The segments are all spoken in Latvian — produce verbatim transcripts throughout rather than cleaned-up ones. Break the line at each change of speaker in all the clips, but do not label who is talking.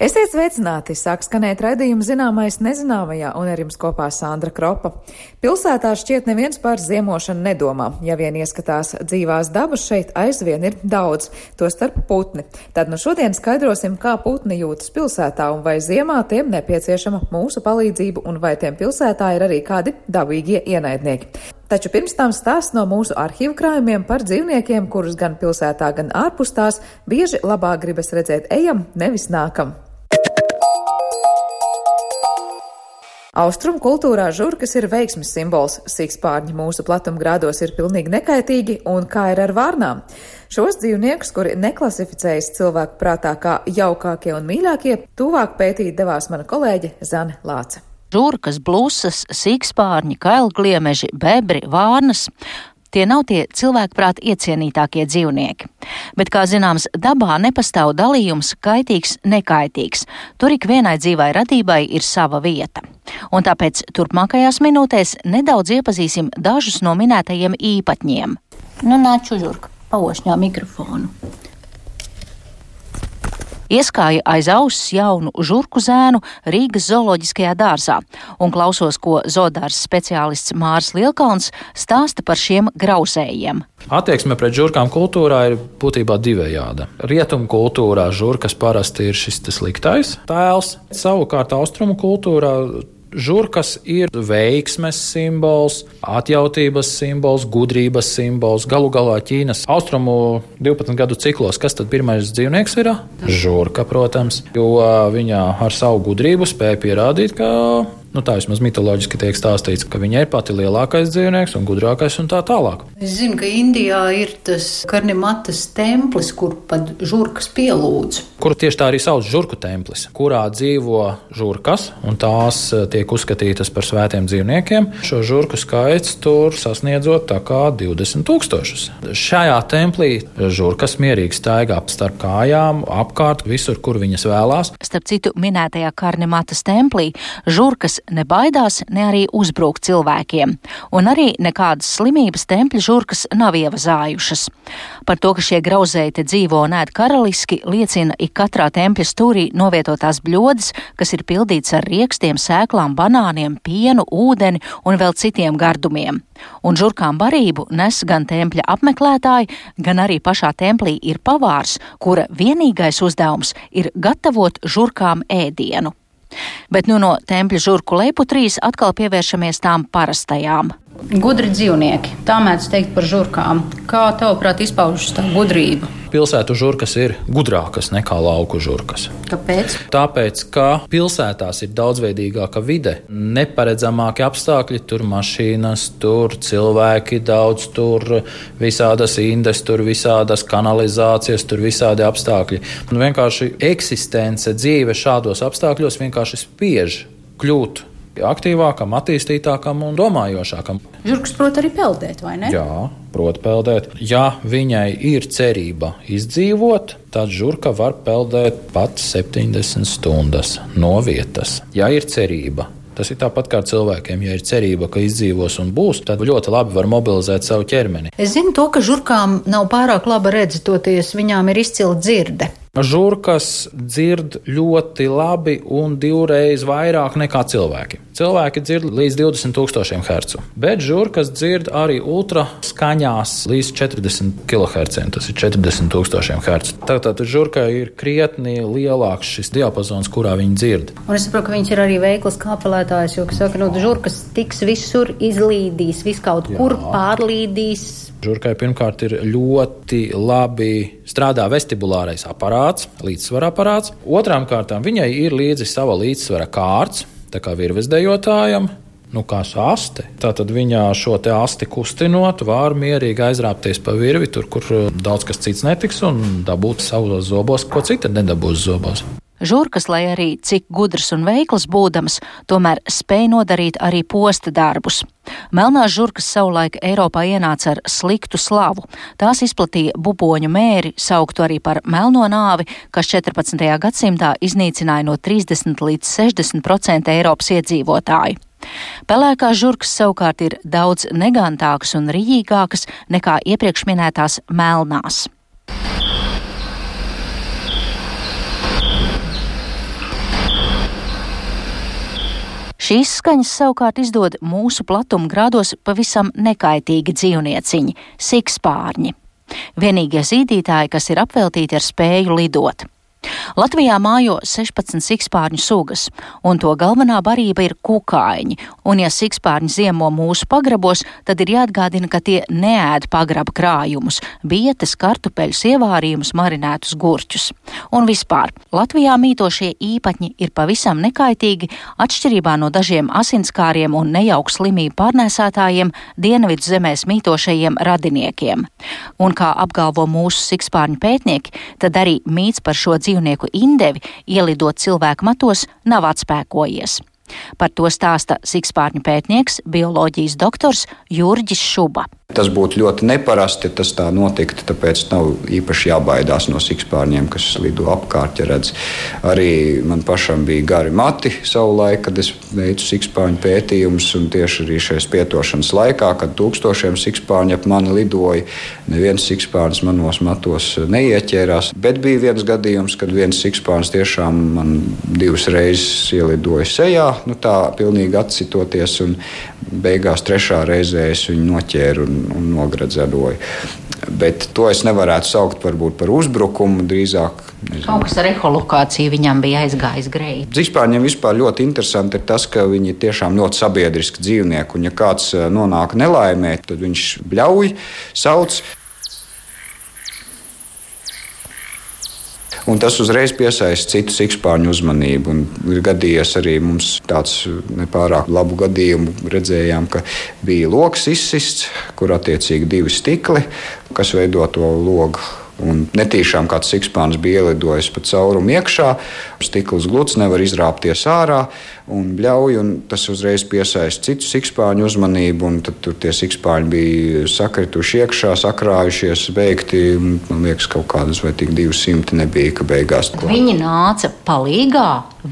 Esiet sveicināti, sāk skanēt raidījuma Zināmais nezināmajā, un ar jums kopā Sandra Kropa. Pilsētā šķiet neviens par ziemošanu nedomā. Ja vien ieskatās dzīvās dabas, šeit aizvien ir daudz, to starp putni. Tad nu šodien skaidrosim, kā putni jūtas pilsētā un vai ziemā tiem nepieciešama mūsu palīdzība un vai tiem pilsētā ir arī kādi dabīgie ienaidnieki. Taču pirms tam stāsts no mūsu arhīvu krājumiem par dzīvniekiem, kurus gan pilsētā, gan ārpus tās bieži labāk gribas redzēt ejam, nevis nākam. Austrumu kultūrā žurkas ir veiksmes simbols, sikspārņi mūsu platumgrādos ir pilnīgi nekaitīgi, un kā ir ar vārnām? Šos dzīvniekus, kuri neklasificējas cilvēku prātā kā jaukākie un mīļākie, tuvāk pētīt devās mana kolēģe Zane Lāce.
Žurkas, blusas, sikspārņi, kailgliemeži, bebri, vārnas. Tie nav tie cilvēkprāt iecienītākie dzīvnieki. Bet, kā zināms, dabā nepastāv dalījums kaitīgs, nekaitīgs. Tur ik vienai dzīvai radībai ir sava vieta. Un tāpēc turpmākajās minūtēs nedaudz iepazīsim dažus no minētajiem īpatņiem. Nu, nāc, žurka, paošņā mikrofonu. Ieskāja aiz auss jaunu žurku zēnu Rīgas zooloģiskajā dārzā un klausos, ko zoodārzs speciālists Māris Lielkalns stāsta par šiem grauzējiem.
Attieksme pret žurkām kultūrā ir būtībā divējāda. Rietumu kultūrā žurkas parasti ir šis sliktais tēls, savukārt austrumu kultūrā žurkas ir veiksmes simbols, atjautības simbols, gudrības simbols. Galu galā Ķīnas austrumu divpadsmit gadu ciklos, kas tad pirmais dzīvnieks ir? Žurka, protams, jo viņa ar savu gudrību spēja pierādīt, ka, nu tā vismaz mitoloģiski tiek stāstīts, ka viņa ir pati lielākais dzīvnieks un gudrākais un tā tālāk.
Es zinu, ka Indijā ir tas Karnimatas templis, kur pat žurkas pielūdz.
Kuru tieši tā arī sauc žurku templis, kurā dzīvo žurkas, un tās tiek uzskatītas par svētiem dzīvniekiem. Šo žurku skaits tur sasniedzot tā kā divdesmit tūkstošus. Šajā templī žurkas mierīgi staigā starp kājām, apkārt, visur, kur viņas vēlās.
Starp citu, minētajā Karnimatas templī žurkas nebaidās, ne arī uzbruk cilvēkiem, un arī nekādas slimības tempļa žurkas nav ievazājušas. Par to, ka šie grauzēji te dzīvo un ēd karaliski, liecina ik katrā tempļa stūrī novietotās bļodas, kas ir pildīts ar riekstiem, sēklām, banāniem, pienu, ūdeni un vēl citiem gardumiem. Un žurkām barību nes gan tempļa apmeklētāji, gan arī pašā templī ir pavārs, kura vienīgais uzdevums ir gatavot žurkām ēdienu. Bet nu no tempļa žurku leiputrīs atkal pievēršamies tām parastajām.
Gudri dzīvnieki, tā mēdz teikt par žurkām. Kā tavuprāt izpaužas tā gudrība?
Pilsētu žurkas ir gudrākas nekā lauku žurkas.
Kāpēc?
Tāpēc, ka pilsētās ir daudzveidīgāka vide, neparedzamāki apstākļi, tur mašīnas, tur cilvēki daudz, tur visādas indes, tur visādas kanalizācijas, tur visādi apstākļi. Un vienkārši eksistence, dzīve šādos apstākļos vienkārši spiež kļūt aktīvākam, attīstītākam un domājošākam.
Žurkas prot arī peldēt, vai ne?
Jā, prot peldēt. Ja viņai ir cerība izdzīvot, tad žurka var peldēt pat septiņdesmit stundas no vietas. Ja ir cerība. Tas ir tāpat kā ar cilvēkiem. Ja ir cerība, ka izdzīvos un būs, tad ļoti labi var mobilizēt savu ķermeni.
Es zinu to, ka žurkām nav pārāk laba redze, toties viņām ir izcila dzirde.
Žurkas dzird ļoti labi un divreiz vairāk nekā cilvēki. Cilvēki dzird līdz divdesmit tūkstošiem hercu, bet žurkas dzird arī ultra skaņās līdz četrdesmit kiloherciem, tas ir četrdesmit tūkstošiem hercu. Tātad žurkai ir krietni lielāks šis diapazons, kurā viņi dzird.
Un es saprotu, ka viņš ir arī veikls kāpelētājs, jo, kas saka, no žurkas tiks visur izlīdīs, viskaut kur pārlīdīs.
Žurkai pirmkārt ir ļoti labi strādā vestibulārais aparāts, līdzsvara aparāts. Otrām kārtām viņai ir līdzi sava līdzsvara kārts, tā kā virvesdejotājam, nu kā aste. Tātad viņā šo te asti kustinot, var mierīgi aizrāpties pa virvi, tur, kur daudz kas cits netiks, un dabūt savos zobos, ko cita nedabūs zobos.
Žurkas, lai arī cik gudras un veiklas būdamas, tomēr spēj nodarīt arī posta darbus. Melnās žurkas savulaik Eiropā ienāca ar sliktu slavu. Tās izplatīja buboņu mēri, sauktu arī par melno nāvi, kas četrpadsmitajā gadsimtā iznīcināja no trīsdesmit līdz sešdesmit procenti Eiropas iedzīvotāju. Pelēkās žurkas savukārt ir daudz negantākas un riņķīgākas nekā iepriekš minētās melnās. Šīs skaņas savukārt izdod mūsu platuma grādos pavisam nekaitīgi dzīvnieciņi – sikspārņi. Vienīgie zīdītāji, kas ir apveltīti ar spēju lidot. Latvijā mājo sešpadsmit sikspārņu sugas, un to galvenā barība ir kukaiņi, un ja sikspārņi ziemo mūsu pagrabos, tad ir jāatgādina, ka tie neēd pagraba krājumus, bietes, kartupeļus, ievārījumus, marinētus gurķus. Un vispār, Latvijā mītošie īpatņi ir pavisam nekaitīgi, atšķirībā no dažiem asinskāriem un nejauku slimību pārnēsātājiem Dienvidu zemēs mītošajiem radiniekiem. Un kā apgalvo mūsu sikspārņu pētnieki, tad arī mīts par šo dzīvnieku indevi ielidot cilvēku matos nav atspēkojies. Par to stāsta sikspārņu pētnieks, bioloģijas doktors Jurģis Šuba.
Tas būtu ļoti neparasti, ja tas tā notiktu, tāpēc nav īpaši jābaidās no sikspārņiem, kas lido apkārt, ja redz. Arī man pašam bija gari mati savulaik, kad es veicu sikspārņu pētījumus, un tieši arī šajās pietošanas laikā, kad tūkstošiem sikspārņu ap mani lidoja, neviens sikspārnis manos matos neieķērās, bet bija viens gadījums, kad viens sikspārnis tiešām man divas reizes ielidoja sejā, nu tā pilnīgi atsitoties, un beigās trešā reizē es viņu noķēru un, un nogradzeroju. Bet to es nevarētu saukt varbūt par uzbrukumu, drīzāk. Nezinu.
Kaut kas ar eholokāciju viņam bija aizgājis greji.
Sikspārņiem vispār ļoti interesanti ir tas, ka viņi ir tiešām ļoti sabiedriski dzīvnieki, un ja kāds nonāk nelaimē, tad viņš bļauj, sauc. Un tas uzreiz piesaista citu sikspārņu uzmanību. Un ir gadījies arī mums tāds nepārāk labu gadījumu. Redzējām, ka bija logs izsists, kur attiecīgi divi stikli, kas veido to logu. Un netīšām kāds sikspārnis bija ielidojis pa caurumu iekšā, stikls gluds, nevar izrāpties ārā un bļauj, un tas uzreiz piesaista citu sikspārņu uzmanību, un tad tur tie sikspārņi bija sakrituši iekšā, sakrājušies, beigti, man liekas, kaut kādas vai tik divas simti nebija, ka beigās.
Viņi nāca palīgā,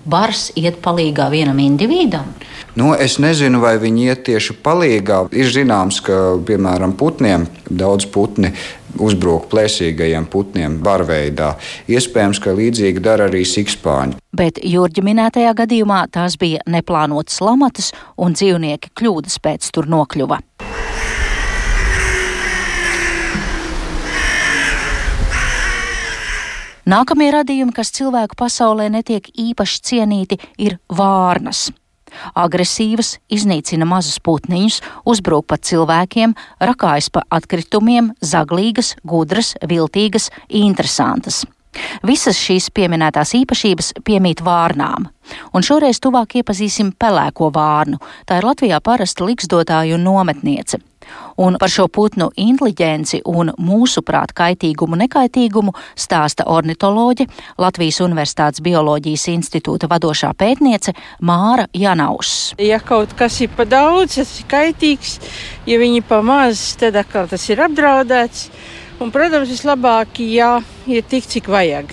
bars iet palīgā vienam individam?
Nu, es nezinu, vai viņi iet tieši palīgā. Ir zināms, ka, piemēram, putniem, daudz putni uzbruk plēsīgajiem putniem barveidā. Iespējams, ka līdzīgi dara arī sikspārņi.
Bet Jurģa minētajā gadījumā tās bija neplānotas lamatas, un dzīvnieki kļūdas pēc tur nokļuva. Nākamie radījumi, kas cilvēku pasaulē netiek īpaši cienīti, ir vārnas. Agresīvas, iznīcina mazus putniņus, uzbrūk pat cilvēkiem, rakājas pa atkritumiem, zaglīgas, gudras, viltīgas, interesantas. Visas šīs pieminētās īpašības piemīt vārnām. Un šoreiz tuvāk iepazīsim pelēko vārnu. Tā ir Latvijā parasta liksdotāja un nometniece. Un par šo putnu inteliģenci un mūsuprāt kaitīgumu nekaitīgumu stāsta ornitoloģe, Latvijas Universitātes Bioloģijas institūta vadošā pētniece Māra Janauss.
Ja kaut kas ir pa daudz, tas ir kaitīgs, ja viņi pa maz, tad atkal tas ir apdraudēts. Un, protams, vislabāk, ja ir tik, cik vajag.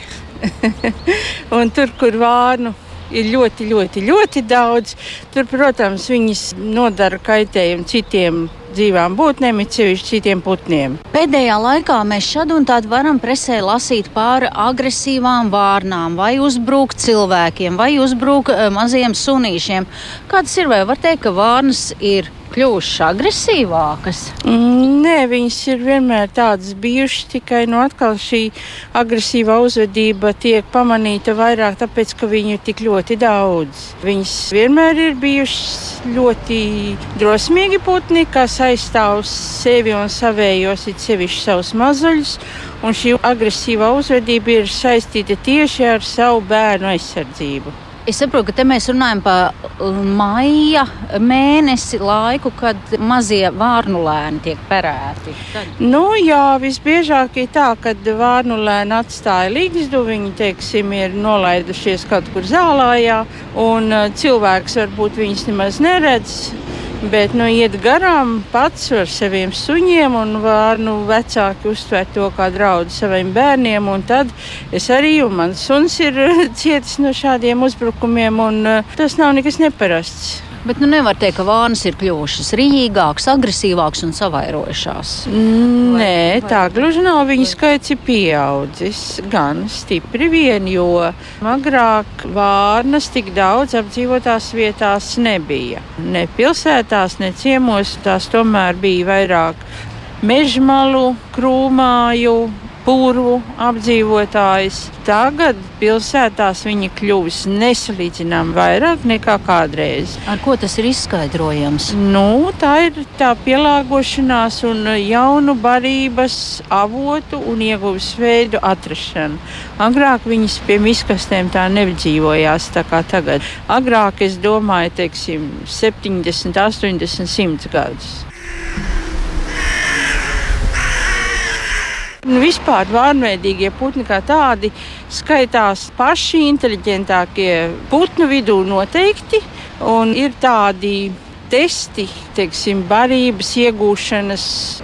Un tur, kur vārnu ir ļoti, ļoti, ļoti daudz, tur, protams, viņas nodara kaitējumu citiem dzīvām būtnēm, it sevišķi citiem putniem.
Pēdējā laikā mēs šad un tād varam presē lasīt par agresīvām vārnām, vai uzbruk cilvēkiem, vai uzbruk maziem sunīšiem. Kāds ir, vai var teikt, ka vārnas ir kļuvušas agresīvākas?
Mm, nē, viņas ir vienmēr tādas bijušas, tikai no atkal šī agresīvā uzvedība tiek pamanīta vairāk, tāpēc, ka viņu ir tik ļoti daudz. Viņas vienmēr ir bijušas ļoti drosmīgi putni, kas aizstāv sevi un savējos, it sevišķi savus mazuļus, un šī agresīvā uzvedība ir saistīta tieši ar savu bērnu aizsardzību.
Es saprotu, ka te mēs runājam par maija mēnesi laiku, kad mazie vārnulēni tiek perēti. Tad...
Nu jā, visbiežāk ir tā, kad vārnulēni atstāja ligzdu, viņi, teiksim, ir nolaidušies kaut kur zālājā, un cilvēks varbūt viņus nemaz neredz. Bet nu, iet garām pats ar saviem suņiem, un vārnu vecāki uztver to kā draudu saviem bērniem. Un tad es arī, un mans suns ir cietis no šādiem uzbrukumiem, un tas nav nekas neparasts.
Bet nu nevar teikt, ka vānas ir kļuvušas rīgākas, agresīvākas un savairojušās.
Nē, tā gluži nav. Viņa skaits ir pieaudzis gan stipri vien, jo agrāk vārnas tik daudz apdzīvotās vietās nebija. Ne pilsētās, ne ciemos, tās tomēr bija vairāk mežmalu, krūmāju, purvu apdzīvotājs. Tagad pilsētās viņi kļuvis nesalīdzinām vairāk nekā kādreiz.
Ar ko tas ir izskaidrojams?
Nu, tā ir tā pielāgošanās un jaunu barības avotu un ieguves veidu atrašana. Agrāk viņas pie miskastēm tā nedzīvojās tā kā tagad. Agrāk, es domāju, teiksim, septiņdesmit, astoņdesmit, simt gadus. Vispār vārnveidīgie putni kā tādi skaitās paši inteliģentākie putnu vidū noteikti, un ir tādi testi, teiksim, barības iegūšanas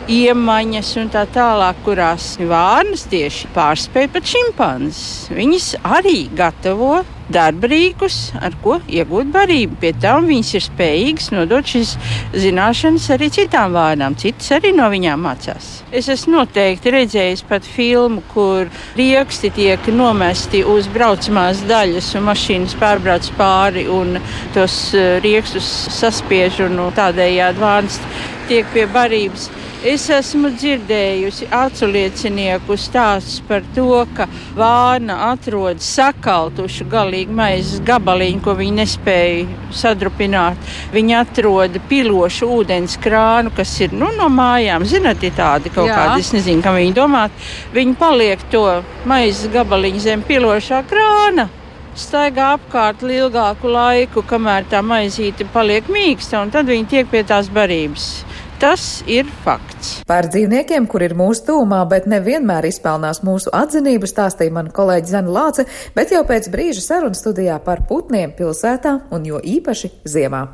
iemaņas un tā tālāk, kurās vārnas tieši pārspēj pat šimpanzes. Viņas arī gatavo darbrīkus, ar ko iegūt barību. Pie tam viņas ir spējīgas nodot šīs zināšanas arī citām vārnām. Citas arī no viņām mācās. Es esmu noteikti redzējis pat filmu, kur rieksti tiek nomesti uz braucamās daļas un mašīnas pārbrauc pāri un tos riekstus saspiež un tādējādi vārnas tiek pie barības. Es esmu dzirdējusi aculiecinieku stāstus par to, ka vārna atrod sakaltušu galīgi maizes gabaliņu, ko viņi nespēja sadrupināt. Viņi atrod pilošu ūdens krānu, kas ir nu, no mājām. Zināt, ir tādi kaut Jā. kādi, es nezinu, kam viņi domāt. Viņi paliek to maizes gabaliņu zem pilošā krāna. Staigā apkārt ilgāku laiku, kamēr tā maizīte paliek mīksta, un tad viņi tiek pie tās barības. Tas ir fakts.
Par dzīvniekiem, kur ir mūsu tūmā, bet nevienmēr izpelnās mūsu atzinību, stāstīja mana kolēģe Zana Lāce, bet jau pēc brīža sarunu studijā par putniem pilsētā un jo īpaši ziemā.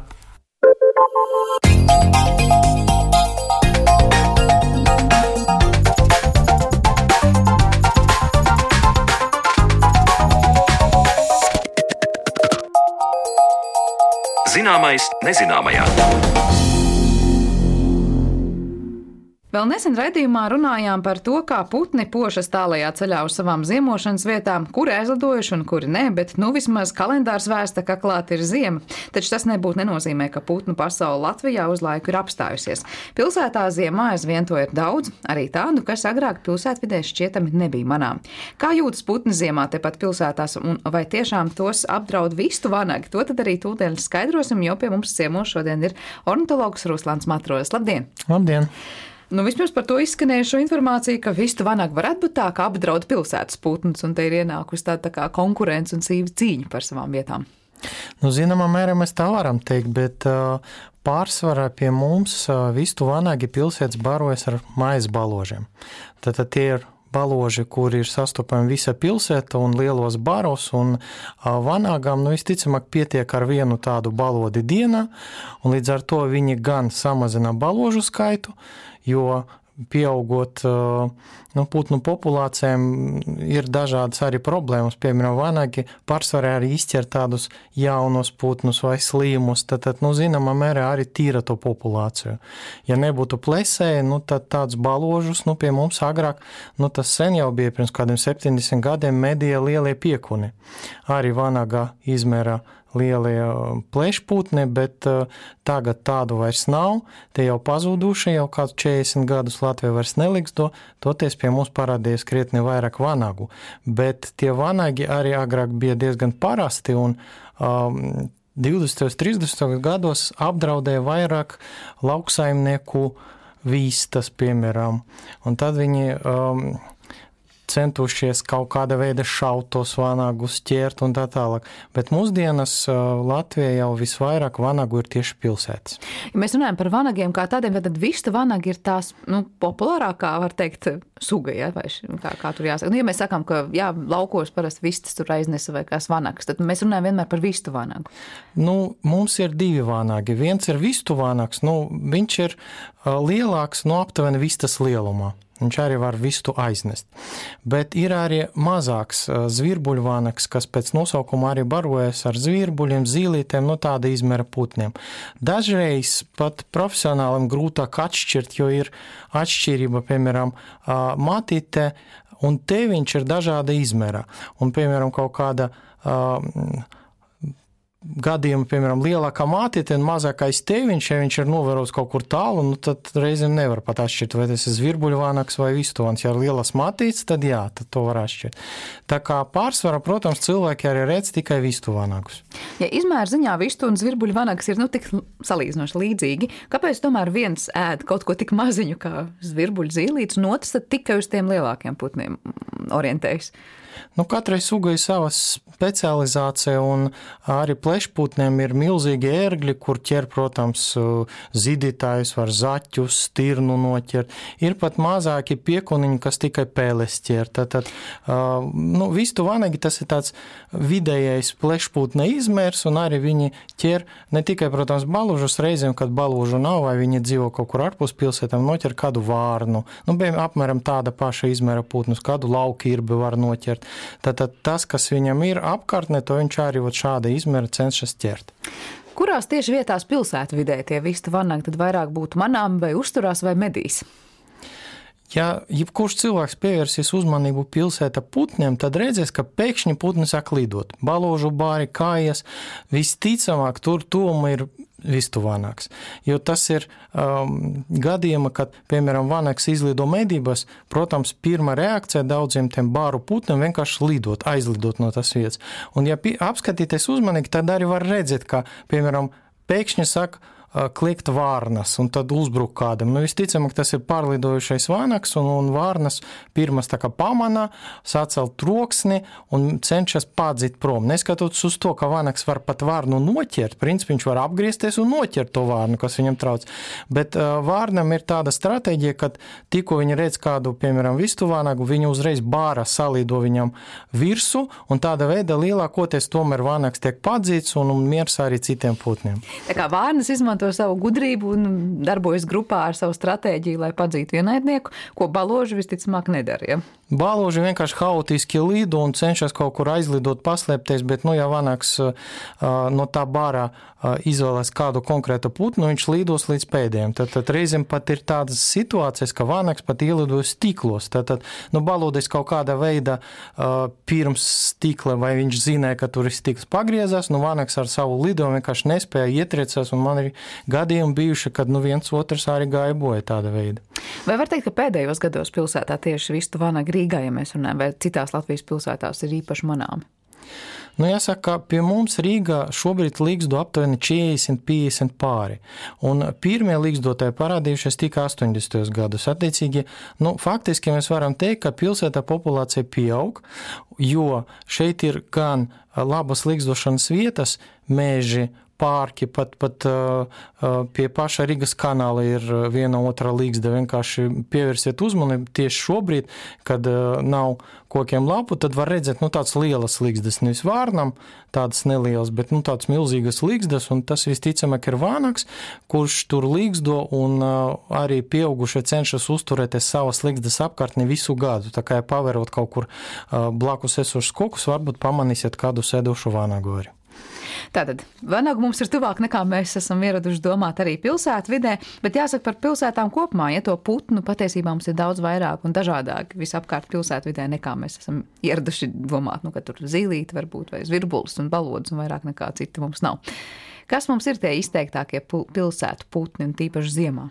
Zināmais nezināmajā.
Vēl nesen raidījumā runājām par to, kā putni pošas tālajā ceļā uz savām ziemošanas vietām, kuri aizlidojuši un kuri nē, bet nu vismaz kalendārs vēsta, ka klāt ir ziema. Taču tas nebūtu nenozīmē, ka putnu pasaule Latvijā uz laiku ir apstājusies. Pilsētā ziemā aizvien to ir daudz, arī tādu, kas agrāk pilsētvidē šķietami nebija manām. Kā jūtas putni ziemā tepat pilsētās un vai tiešām tos apdraud vistu vanagi? To tad arī tūdien skaidrosim, jo pie mums ciemos šodien ir ornitologs Ruslans Matrolis. Labdien!
Labdien!
Nu, vispirms par to izskanējušo informāciju, ka vistu vanaga varētu būt tā, ka apdraud pilsētas putnus, un te ir ienākusi tāda tā kā konkurence un sīva cīņa par savām vietām.
Nu, zināmā mērā mēs tā varam teikt, bet uh, pārsvarā pie mums uh, vistu vanagi pilsētas barojas ar maizes baložiem. Tātad tie ir baloži, kur ir sastopami visa pilsēta un lielos baros, un uh, vanagām, nu, visticamāk, pietiek ar vienu tādu balodi dienā, un līdz ar to viņi gan samazina baložu skaitu, jo pieaugot nu, putnu populācijām ir dažādas arī problēmas. Piemēram, vanagi pārsvarā arī izķer tādus jaunos putnus vai slīmus, tad, tad nu, zināmā mērā arī tīra to populāciju. Ja nebūtu plesēji, nu, tad tāds baložus, nu, pie mums agrāk, nu, tas sen jau bija pirms kādiem septiņdesmit gadiem medīja lielie piekuni. Arī vanagā izmērā lielie plešputni, bet uh, tagad tādu vairs nav. Tie jau pazuduši, jau kāds četrdesmit gadus Latvija vairs neliks to, toties pie mums parādījies krietni vairāk vanagu. Bet tie vanagi arī agrāk bija diezgan parasti un um, divdesmitajos, trīsdesmitajos gados apdraudēja vairāk lauksaimnieku vistas, piemēram. Un tad viņi um, centušies kaut kāda veida šaut tos vanagus, ķert un tā tālāk. Bet mūsdienas Latvijā jau visvairāk vanagu ir tieši pilsētas.
Ja mēs runājam par vanagiem kā tādiem, tad vistu vanagi ir tās nu, populārākā, var teikt, suga, ja? Vai kā, kā tur jāsaka. Nu, ja mēs sakām, ka jā, laukos parasti vistas tur aiznesa vai kās vanags, tad mēs runājam vienmēr par vistu vanagu.
Nu, mums ir divi vanagi. Viens ir vistu vanags, nu, viņš ir lielāks no aptuveni vistas lielumā. viņš arī var vistu aiznest. Bet ir arī mazāks zvirbuļvānaks, kas pēc nosaukuma arī barojas ar zvirbuļiem, zīlītēm, no tāda izmēra putniem. Dažreiz pat profesionālim grūtāk atšķirt, jo ir atšķirība, piemēram, matīte un teviņš ir dažāda izmēra. Un, piemēram, kaut kāda uh, gadījuma, piemēram, lielākā mātīte un mazākais teviņš, ja viņš ir novērots kaut kur tālu, nu, tad reizēm nevar pat atšķirt, vai tas ir zvirbuļvānaks vai vistuvāns. Ja ir lielas mātītes, tad jā, tad to var atšķirt. Tā kā pārsvarā, protams, cilvēki arī redz tikai vistuvānakus.
Ja izmēra ziņā vistu un zvirbuļvānaks ir nu tik salīdzinoši līdzīgi, kāpēc tomēr viens ēd kaut ko tik maziņu kā zvirbuļzīlītes un otrs tad tikai uz tiem lielākiem putniem orientējas?
Nu, katrai sugai sava specializācija, un arī plešputniem ir milzīgi ērgļi, kur ķer, protams, zidītājus, var zaķus, stirnu noķert. Ir pat mazāki piekuniņi, kas tikai pēles ķer. Tātad, nu, vistu vanagi tas ir tāds vidējais plešputne izmērs, un arī viņi ķer ne tikai, protams, balūžus, reizēm, kad balūžu nav, vai viņi dzīvo kaut kur ārpus pilsētām, noķer kādu vārnu. Nu, bija apmēram tāda paša izmēra putnus, kādu laukirbi var noķert. Tātad tas, kas viņam ir apkārtnē, to viņš arī šāda izmēra cenšas ķert.
Kurās tieši vietās pilsētvidē tie vistu vanagi tad vairāk būtu manām vai uzturās vai medīs?
Ja jebkurš cilvēks pievērsīs uzmanību pilsēta putniem, tad redzēs, ka pēkšņi putni sāk lidot. Balūžu bāri, kājas, visticamāk tur tuvumā ir vistuvānaks. Jo tas ir um, gadījuma, kad, piemēram, vanaks izlido medībās, protams, pirmā reakcija daudziem tiem bāru putniem vienkārši lidot, aizlidot no tas vietas. Un ja apskatīties uzmanīgi, tad arī var redzēt, ka, piemēram, pēkšņi saka, kliegt vārnas un tad uzbruk kādam. Nu, visticamāk, tas ir pārlidojušais vānaks, un, un vārnas pirmas tā kā pamanā, sacelt troksni un cenšas padzīt prom. Neskatoties uz to, ka vānaks var pat vārnu noķert, principā viņš var apgriezties un noķert to vārnu, kas viņam trauc. Bet uh, vārnam ir tāda stratēģija, ka tikko viņi redz kādu, piemēram, vistu vānagu, viņi uzreiz bāra salīdo viņam virsu, un tāda veida lielākoties tomēr vānaks tiek padzīts un, un miers arī citiem putniem.
Tā kā vārnas izmanto to savu gudrību un darbojas grupā ar savu stratēģiju, lai padzītu ienaidnieku, ko balūži visticamāk nedara. Ja?
Balūži vienkārši haotiski lido un cenšas kaut kur aizlidot, paslēpties, bet, nu, ja vanaks uh, no tā bārā uh, izvēlēs kādu konkrētu putnu, viņš lidos līdz pēdējiem. Tad, tad reizēm pat ir tādas situācijas, ka vanaks pat ielidojas stiklos. Tad, tad nu, balūdis kaut kāda veida uh, pirms stikla, vai viņš zināja, ka tur ir stikls pagriezās, nu, vanaks ar savu lidojumu vienkārši nespēja ietriecās, un man ir gadījumi bijuši, kad nu, viens otrs arī gāja boja tāda veida.
Vai var teikt, ka pēdējos gados pilsētā tieši vistu vanagi Rīgā, ja mēs runājam, vai citās Latvijas pilsētās ir īpaši manāmi?
Nu, jāsaka, pie mums Rīgā šobrīd līgzdo aptuveni četrdesmit piecdesmit pāri. Un pirmie līgzdotāji parādījušies tikai astoņdesmitos gados. Attiecīgi, nu, faktiski mēs varam teikt, ka pilsētā populācija pieaug, jo šeit ir gan labas līgzdošanas vietas, meži, pārki, pat, pat pie paša Rīgas kanāla ir viena otra līgzda. Vienkārši pievērsiet uzmanību tieši šobrīd, kad nav kokiem lapu, tad var redzēt, nu, tāds lielas līgzdas, nevis vārnam, tādas nelielas, bet, nu, tāds milzīgas līgzdas, un tas visticamāk ir vānaks, kurš tur līgzdo, un arī pieaugušie cenšas uzturēties savas līgzdas apkārtni visu gadu. Tā kā, ja paverot kaut kur blakus esošus kokus, varbūt pamanīsiet kādu sēdošu vānagu arī.
Tātad, vanagu mums ir tuvāk nekā mēs esam ieraduši domāt arī pilsētu vidē, bet jāsaka par pilsētām kopumā, ja to putnu patiesībā mums ir daudz vairāk un dažādāk visapkārt pilsētu vidē nekā mēs esam ieraduši domāt, nu, ka tur zīlīti varbūt vai zvirbulis un balodis un vairāk nekā cita mums nav. Kas mums ir tie izteiktākie pilsētu putni un tīpaši ziemā?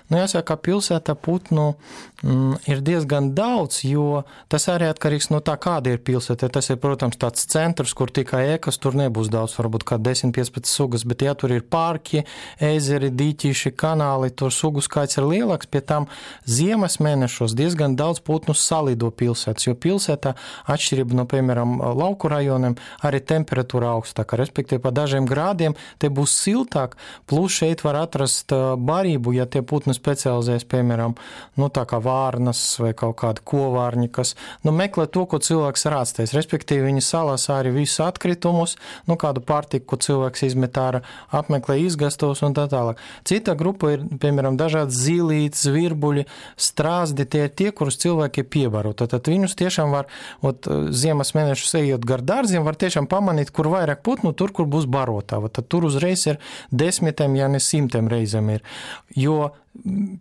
Nu, jāsaka, ka pilsētā putnu mm, ir diezgan daudz, jo tas arī atkarīgs no tā, kāda ir pilsēta. Tas ir, protams, tāds centrs, kur tikai ekas, tur nebūs daudz, varbūt kā desmit piecpadsmit sugas, bet ja tur ir parki, ezeri, dīķīši, kanāli, tur sugu skaits ir lielāks, pie tam ziemas mēnešos diezgan daudz putnu salido pilsētas, jo pilsētā atšķirība no, piemēram, lauku rajoniem, arī temperatūra augstāka, respektīvi pa dažiem grādiem te būs siltāk, plus šeit var atrast barību, ja tie putnas specializējas, piemēram, nu, tā kā vārnas vai kaut kādi kovārņi, kas nu, meklē to, ko cilvēks ir atstājis. Respektīvi, viņi salasā arī visus atkritumus, nu, kādu pārtiku, ko cilvēks izmet ārā, apmeklē izgastos un tā tālāk. Cita grupa ir, piemēram, dažādi zīlītes, virbuļi, strāzdi, tie ir tie, kurus cilvēki piebaro. Tad viņus tiešām var, ot, ziemas mēnešus ejot gar dārziem, var tiešām pamanīt, kur vairāk putnu, tur, kur būs barotava. Tad tur uzreiz ir desmitiem, ja ne simtiem reizēm ir. Jo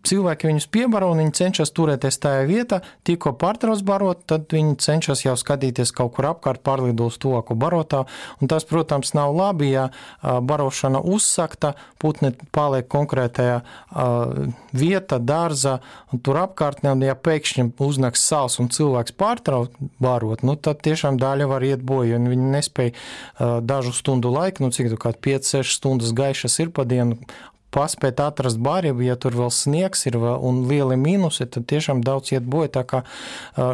cilvēki viņus piebaro un viņi cenšas turēties tajā vietā, tikko pārtrauc barot, tad viņi cenšas jau skatīties kaut kur apkārt, pārlidos tuvāku barotā, un tas, protams, nav labi, ja barošana uzsakta, putni paliek konkrētajā vieta, dārza, un tur apkārtnē, un ja pēkšņi uznāks sals un cilvēks pārtrauc barot, nu tad tiešām daļa var iet boju, un viņi nespēja dažu stundu laiku, nu cik tu kā pieci seši stundas gaišas ir pa dienu, paspēt atrast barību, ja tur vēl sniegs ir vēl, un lieli mīnusi, tad tiešām daudz iet boja. Tā kā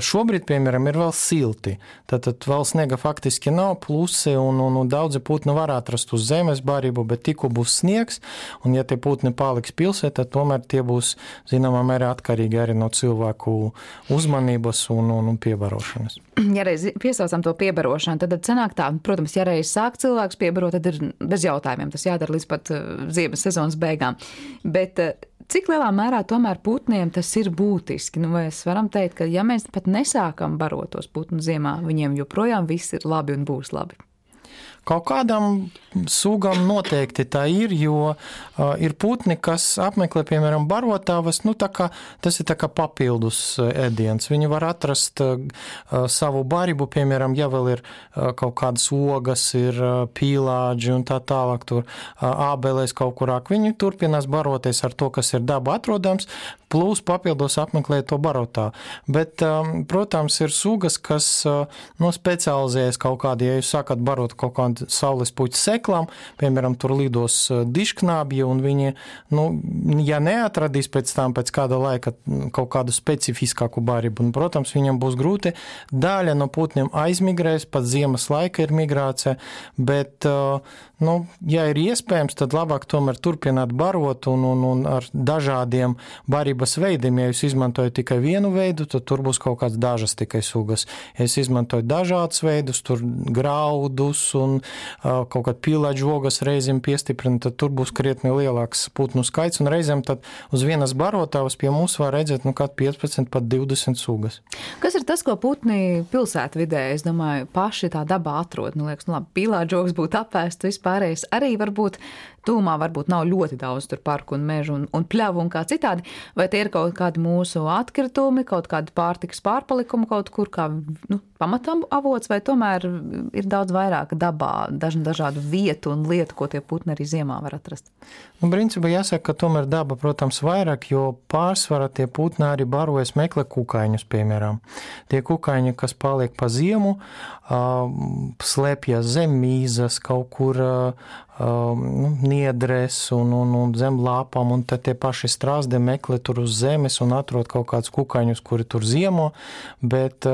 šobrīd, piemēram, ir vēl silti. Tad, tad vēl sniega faktiski nav, plusi, un, un, un daudzi putni var atrast uz zemes barību, bet tikko būs sniegs, un ja tie putni paliks pilsētā, tomēr tie būs, zināmā mērā, atkarīgi arī no cilvēku uzmanības un, un, un piebarošanas.
Ja reiz piesaucam to piebarošanu, tad sanāk tā, protams, ja reiz sāk cilvēks piebarot, tad ir bez jautājumiem. Tas jādara līdz pat ziemas sezonas beigām. Bet cik lielā mērā tomēr putniem tas ir būtiski? Nu, vai es varam teikt, ka ja mēs pat nesākam barot tos putnu ziemā, viņiem joprojām viss ir labi un būs labi?
Kaut kādam sugam noteikti tā ir, jo uh, ir putni, kas apmeklē, piemēram, barotavas, nu tā kā, tas ir tā kā papildus ēdiens. Viņi var atrast uh, savu barību, piemēram, ja vēl ir uh, kaut kādas ogas, ir uh, pīlāģi un tā tālāk, tur uh, ābelēs kaut kurāk. Viņi turpinās baroties ar to, kas ir daba atrodams, plus papildus apmeklē to barotā. Bet, um, protams, ir sugas, kas uh, nu, specializējas kaut kādi, ja jūs sakat barot kaut kādu saules puķu seklām, piemēram, tur lidos dišknābji, un viņi, nu, ja neatradīs pēc tam, pēc kāda laika kaut kādu specifiskāku barību, un, protams, viņam būs grūti. Daļa no putniem aizmigrēs, pat ziemas laika ir migrācija, bet, nu, ja ir iespējams, tad labāk tomēr turpināt barot un, un, un ar dažādiem barības veidiem. Ja jūs izmantojat tikai vienu veidu, tad tur būs kaut kāds dažas tikai sugas. Ja jūs izmantojat dažādus veidus, tur graudus un kaut kāda pīlāģa ogas reizēm piestiprina, tad tur būs krietni lielāks putnu skaits, un reizēm tad uz vienas barotavas pie mums var redzēt, nu, kād piecpadsmit pat divdesmit sugas.
Kas ir tas, ko putni pilsētvidē, es domāju, paši tā dabā atrod? Nu, liekas, nu labi, pīlāģa ogas būtu apēsts, vispārējais arī varbūt tūmā varbūt nav ļoti daudz tur parku un mežu un, un pļavu un kā citādi, vai tie ir kaut kādi mūsu atkritumi, kaut kādi pārtikas pārpalikumi kaut kur kā, nu, pamatam avots, vai tomēr ir daudz vairāk dabā, daž, dažādu vietu un lietu, ko tie putni arī ziemā var atrast?
Nu, principā jāsaka, ka tomēr daba, protams, vairāk, jo pārsvarā tie putni arī barojas meklē kukaiņus, piemēram. Tie kukaiņi, kas paliek pa ziemu, slēpjas zem mīzas, kaut kur nu, niedrēs un, un, un zem lāpām, un tad tie paši strāzdi meklē tur uz zemes un atrod kaut kādus kukaiņus, kuri tur ziemo, bet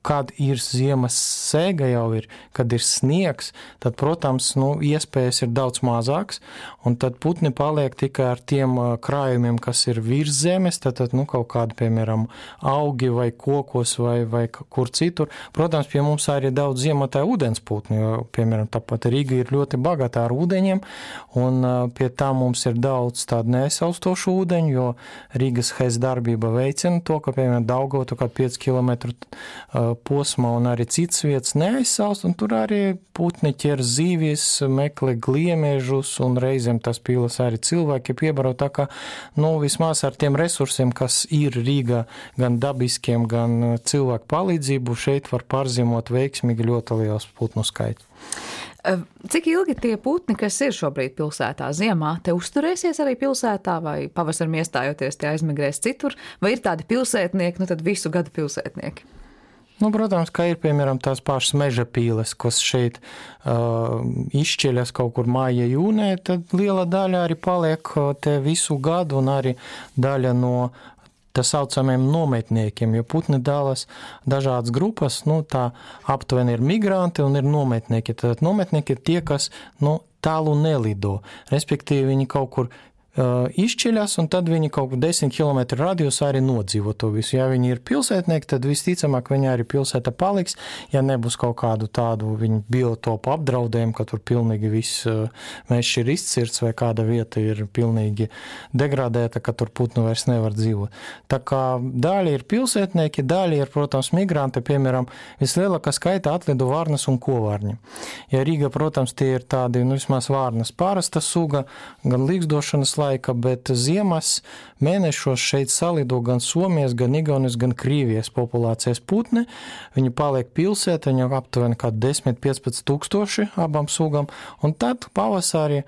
kad ir ziemas sēga jau ir, kad ir sniegs, tad, protams, nu, iespējas ir daudz mazāks, un tad putni paliek tikai ar tiem krājumiem, kas ir virs zemes, tad, tad nu, kaut kādi, piemēram, augi vai kokos vai, vai kur citur. Protams, pie mums arī daudz ziemotāju ūdensputni, jo, piemēram, tāpat Rīga ir ļoti bagātā ar ūdeņiem, un pie tā mums ir daudz tādu neaizsaustošu ūdeņu, jo Rīgas H E S darbība veicina to, ka, piemēram, Daugava tā kā pieci kilometru posmā un arī citas vietas neaizsaust, un tur arī putni ķer zīvis, meklē gliemežus, un reizēm tas pīlas arī cilvēki piebaro, tā kā, nu, vismaz ar tiem resursiem, kas ir Rīgā, gan dabiskiem, gan cilvēku palīdzību, šeit var pārziemot veiksmīgi ļoti liels putnu skaits.
Cik ilgi tie putni, kas ir šobrīd pilsētā ziemā, te uzturēsies arī pilsētā, vai pavasaram iestājoties tie aizmigrēs citur, vai ir tādi pilsētnieki, nu tad visu gadu pilsētnieki?
Nu, protams, ka ir, piemēram, tās pašas meža pīles, kas šeit uh, izšķeļas kaut kur māja jūnē, tad liela daļa arī paliek te visu gadu un arī daļa no tā saucamiem nometniekiem, jo putni dalās dažādas grupas, nu, tā aptuveni ir migranti un ir nometnieki. Tad nometnieki ir tie, kas, nu, tālu nelido, respektīvi viņi kaut kur izšķiļas, un tad viņi kaut kur desmit kilometru radiusā arī nodzīvo to visu. Ja viņi ir pilsētnieki, tad visticamāk viņi arī pilsēta paliks, ja nebūs kaut kādu tādu viņu biotopu apdraudējumu, ka tur pilnīgi viss mežs ir izcirts vai kāda vieta ir pilnīgi degradēta, ka tur putnu vairs nevar dzīvot. Tā kā daļa ir pilsētnieki, daļa ir, protams, migranti, piemēram, vislielākā skaita atlido vārnas un kovārņi. Ja Rīga, protams, tie ir tādi, nu, vismaz vārnas pārasta suga, gan līgzdošanas laika, bet ziemas mēnešos šeit salido gan Somijas, gan Igaunijas, gan Krievijas populācijas putni. Viņi paliek pilsētā, viņi aptuveni kā desmit līdz piecpadsmit tūkstoši abām sugām, un tad pavasarī,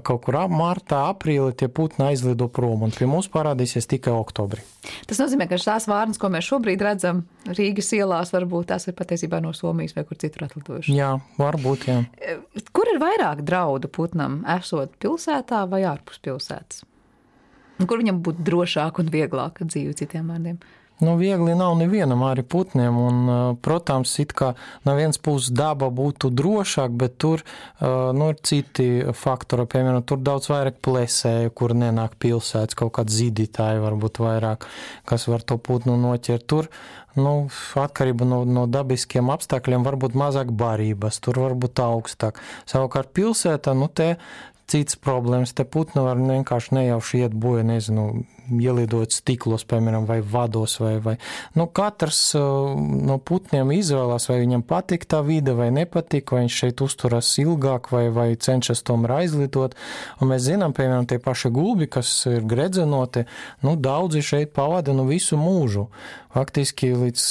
kaut kur martā, aprīlī tie putni aizlido prom, un pie mums parādīsies tikai oktobrī.
Tas nozīmē, ka tās vārnas, ko mēs šobrīd redzam Rīgas ielās, varbūt tās ir patiesībā no Somijas vai kur citur atlidojuši.
Jā, varbūt, jā.
Kur ir vairāk draudu putnam, esot pilsētā vai ārpus pilsētas? Kur viņam būtu drošāk un vieglāk dzīve, citiem vārdiem?
Nu, viegli nav nevienam arī putniem, un, protams, it kā no vienas puses daba būtu drošāk, bet tur, nu, ir citi faktori, piemēram, tur daudz vairāk plesēju, kur nenāk pilsētas, kaut kāds zīdītāji varbūt vairāk, kas var to putnu noķert. Tur, nu, atkarība no, no dabiskiem apstākļiem varbūt mazāk barības, tur varbūt augstāk. Savukārt pilsētā, nu, te cits problēmas, te putni var vienkārši nejauši iet boja, nezinu, ielidot stiklos, piemēram, vai vados, vai, vai, nu, katrs no putniem izvēlās, vai viņam patīk tā vide, vai nepatīk, vai viņš šeit uzturas ilgāk, vai, vai cenšas tomēr aizlidot, un mēs zinām, piemēram, tie paši gulbi, kas ir gredzenoti, nu, daudzi šeit pavada, nu, visu mūžu. Faktiski līdz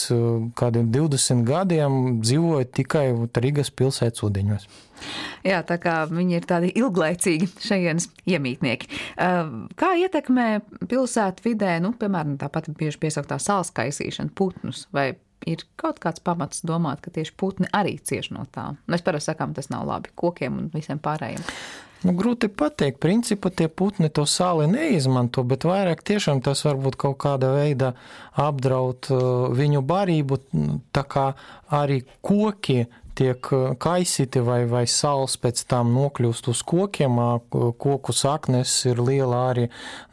kādiem divdesmit gadiem dzīvoja tikai Rīgas pilsētas ūdeņos.
Jā, tā kā viņi ir tādi ilglaicīgi šajienas iemītnieki. Kā ietekmē pilsētu vidē, nu, piemēram, tāpat bieži piesauktā salas kaisīšana putnus, vai ir kaut kāds pamats domāt, ka tieši putni arī cieš no tā? Mēs parasti sakām, tas nav labi kokiem un visiem pārējiem.
Nu, grūti pateikt, principā tie putni to sāli neizmanto, bet vairāk tiešām tas varbūt kaut kāda veida apdraud viņu barību, tā kā arī koki tiek kaisīti vai, vai sāls pēc tam nokļūst uz kokiem, koku saknes ir liela arī,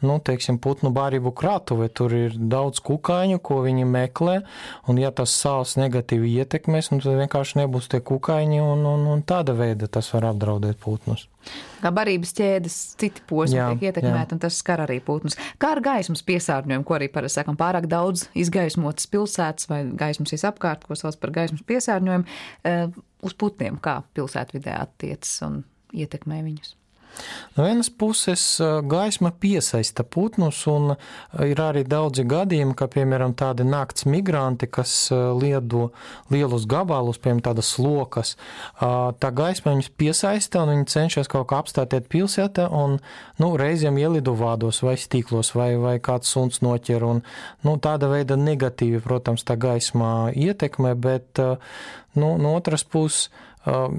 nu, teiksim, putnu barību kratuve, tur ir daudz kukaiņu, ko viņi meklē, un ja tas sāls negatīvi ietekmēs, nu, tad vienkārši nebūs tie kukaiņi, un, un, un tāda veida tas var apdraudēt putnus.
Kā barības ķēdes citi posmi tiek ietekmēti, un tas skar arī putnus. Kā ar gaismas piesārņojumu, ko arī parasti sakam, pārāk daudz izgaismotas pilsētas vai gaismas visapkārt, ko sauc par gaismas piesārņojumu, uz putniem, kā pilsētvidē attiecas un ietekmē viņus?
No vienas puses gaisma piesaista putnus, un ir arī daudzi gadījumi, ka, piemēram, tādi nakts migranti, kas liedo lielus gabalus, piemēram, tādas lokas, tā gaisma viņus piesaista, un viņi cenšas kaut kā apstātiet pilsētā, un, nu, reizēm ielido vādos vai stīklos, vai, vai kāds suns noķer, un, nu, tāda veida negatīvi, protams, tā gaisma ietekmē, bet, nu, no otras puses,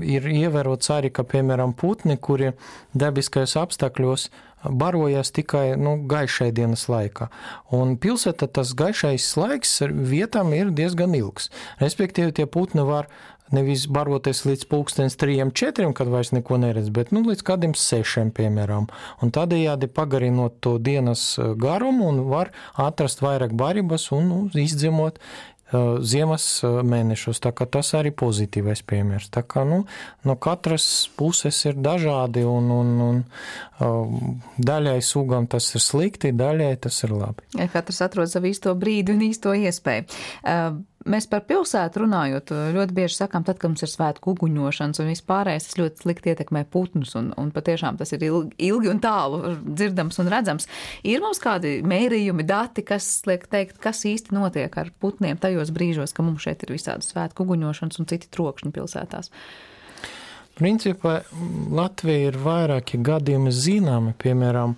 ir ievērots arī, ka, piemēram, putni, kuri dabiskajos apstākļos barojas tikai, nu, gaišai dienas laikā. Un pilsētā tas gaišais laiks vietām ir diezgan ilgs. Respektīvi, tie putni var nevis baroties līdz pulkstens trijiem, četriem, kad vairs neko neredz, bet, nu, līdz kādiem sešiem, piemēram. Un tādējādi pagarinot to dienas garumu un var atrast vairāk barības un, nu, izdzimot ziemas mēnešus, tā kā tas arī pozitīvais piemērs. Tā kā, nu, no katras puses ir dažādi, un, un, un daļai sugām tas ir slikti, daļai tas ir labi.
Ja katrs atrod savu īsto brīdi un īsto iespēju. Mēs par pilsētu runājot, ļoti bieži sakām, tad, kad mums ir svētku uguņošanas un vispārējais, tas ļoti slikti ietekmē putnus, un, un patiešām tas ir ilgi, ilgi un tālu dzirdams un redzams. Ir mums kādi mērījumi, dati, kas liek teikt, kas īsti notiek ar putniem tajos brīžos, ka mums šeit ir visādas svētku uguņošanas un citi trokšņi pilsētās?
Principā Latvija ir vairāki gadījumi zināmi, piemēram,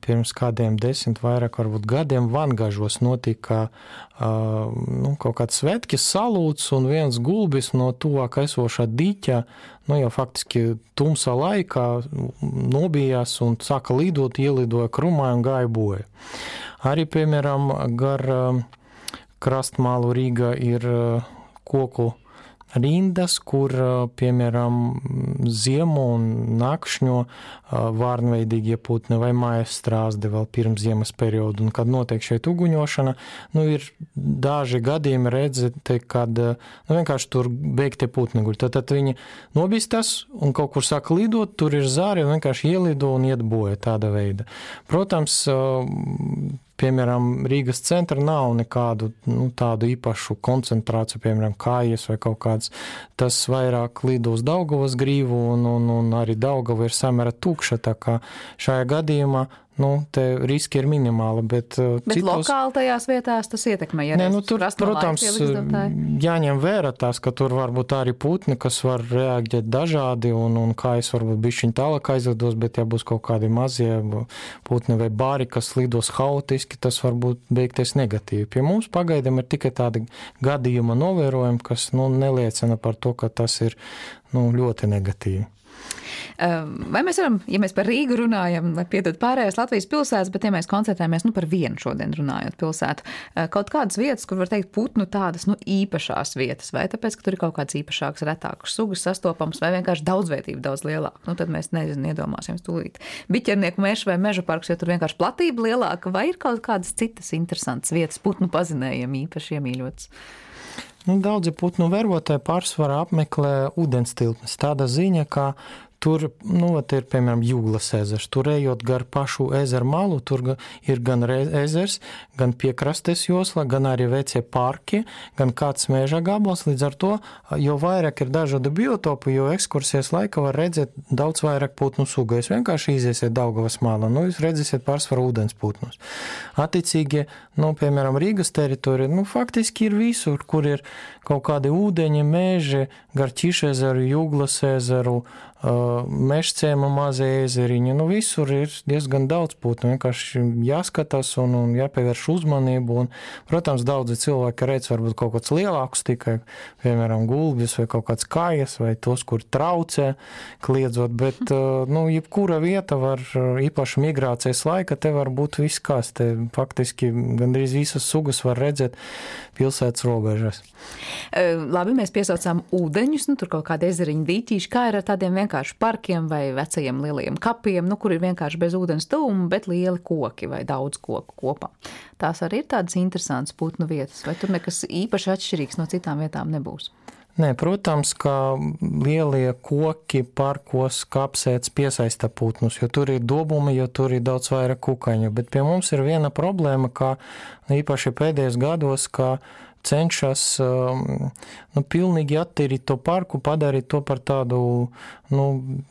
pirms kādiem desmit vairāk varbūt gadiem Vangažos notika nu, kaut kāds svētki salūts, un viens gulbis no tuvāk esošā diķa, nu jau faktiski tumsā laikā nobijās un sāka lidot, ielidoja krumā un gāja boja. Arī, piemēram, gar krastmālu Rīgā ir koku rindas, kur, piemēram, ziemo un nakšņo vārnveidīgie putni vai mājas strāzdi vēl pirms ziemas periodu. Un, kad notiek šeit uguņošana, nu, ir daži gadījumi redzēt, kad nu, vienkārši tur beigtie putni guļ. Tad, tad viņi nobīstas un kaut kur sāk lidot, tur ir zāri un vienkārši ielido un iet boja tāda veida. Protams, piemēram, Rīgas centra nav nekādu nu, tādu īpašu koncentrāciju, piemēram, kājas vai kaut kāds. Tas vairāk lido uz Daugavas grīvu un, un, un arī Daugava ir samērā tukša, tā kā šajā gadījumā nu, te riski ir minimāli, bet,
bet
citos...
lokāli tajās vietās tas ietekmē, ja
Nē, nu, tur, protams, jāņem vērā tās, ka tur varbūt arī putni, kas var reaģēt dažādi un, un kājas varbūt bišķiņ tālāk aizlidos, bet ja būs kaut kādi mazie putni vai bāri, kas lidos haotiski, tas var būt beigties negatīvi. Pie mums pagaidām ir tikai tādi gadījuma novērojumi, kas nu, neliecina par to, ka tas ir nu, ļoti negatīvi.
Vai mēs varam, ja mēs par Rīgu runājam, lai piedod pārējās Latvijas pilsētas, bet ja mēs koncentrējamies nu, par vienu šodien runājot pilsētu, kaut kādas vietas, kur var teikt putnu tādas nu, īpašās vietas, vai tāpēc, ka tur ir kaut kāds īpašāks, retāks sugas sastopams, vai vienkārši daudzveidība daudz lielāka, nu tad mēs nezinu, iedomāsim stulīt. Biķernieku meža vai meža parks, jo tur vienkārši platība lielāka, vai ir kaut kādas citas interesantas vietas putnu pazinējiem īpaši iemīļotas?
Nu, daudzi putnu vērotāji pārsvarā apmeklē ūdenstilpnes. Tāda ziņa, ka tur, nu, ir, piemēram, Jūglas ezers. Tur ejot gar pašu ezeru malu, tur ir gan ezers, gan piekrastes josla, gan arī vecie parki, gan kāds meža gabals. Līdz ar to, jo vairāk ir dažādu biotopu, jo ekskursijas laika var redzēt daudz vairāk putnu sugu. Jūs vienkārši iziesiet Daugavas malā, nu, jūs redzēsiet pārsvaru ūdens putnus. Attiecīgi, nu, piemēram, Rīgas teritorija, nu, faktiski ir visur, kur ir kaut kādi ūdeņi, meži, gar Ķiša ezeru, Jūglas ezeru, Mežciema mazie ezeriņi, nu visur ir diezgan daudz putnu, vienkārši jāskatās un, un jāpievērš uzmanību, un, protams, daudzi cilvēki redz varbūt kaut kāds lielāks tikai, piemēram, gulbjus vai kaut kāds kājas vai tos, kur traucē kliedzot, bet, nu, jebkura vieta var, īpaši migrācijas laika, te var būt viss kas, te faktiski gandrīz visas sugas var redzēt pilsētas robežas.
Labi, mēs piesaucām ūdeņus, nu, tur kaut kādi ezeriņi dīķīši, kā ir ar tādiem vienkārši parkiem vai vecajiem lielajiem kapiem, nu, kur ir vienkārši bez ūdens tuvuma, bet lieli koki vai daudz koku kopā. Tās arī ir tādas interesantas putnu vietas, vai tur nekas īpaši atšķirīgs no citām vietām nebūs?
Nē, protams, ka lielie koki parkos kapsēts piesaista putnus, jo tur ir dobumi, jo tur ir daudz vairāk kukaiņu, bet pie mums ir viena problēma, ka īpaši pēdējos gados, ka cenšas nu, pilnīgi attīrīt to parku, padarīt to par tādu nu,